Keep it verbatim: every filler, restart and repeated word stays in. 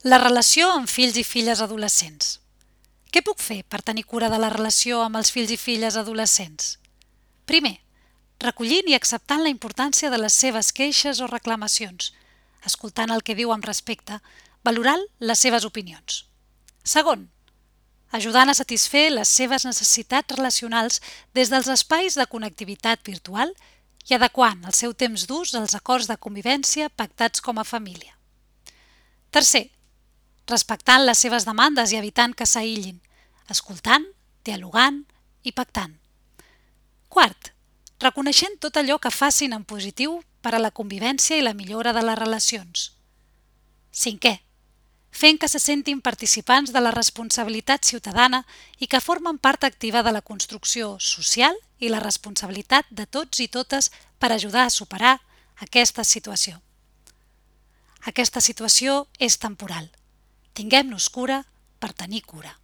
La relació amb fills i filles adolescents. Què puc fer per tenir cura de la relació amb els fills i filles adolescents? Primer, recollint i acceptant la importància de les seves queixes o reclamacions, escoltant el que diu amb respecte, valorant les seves opinions. Segon, ajudant a satisfer les seves necessitats relacionals des dels espais de connectivitat virtual i adequant el seu temps d'ús als acords de convivència pactats com a família. Tercer, respectant les seves demandes i evitant que s'aïllin, escoltant, dialogant i pactant. Quart, reconeixent tot allò que facin en positiu per a la convivència i la millora de les relacions. Cinquè, fent que se sentin participants de la responsabilitat ciutadana i que formen part activa de la construcció social i la responsabilitat de tots i totes per ajudar a superar aquesta situació. Aquesta situació és temporal. Tinguem-nos cura per tenir cura.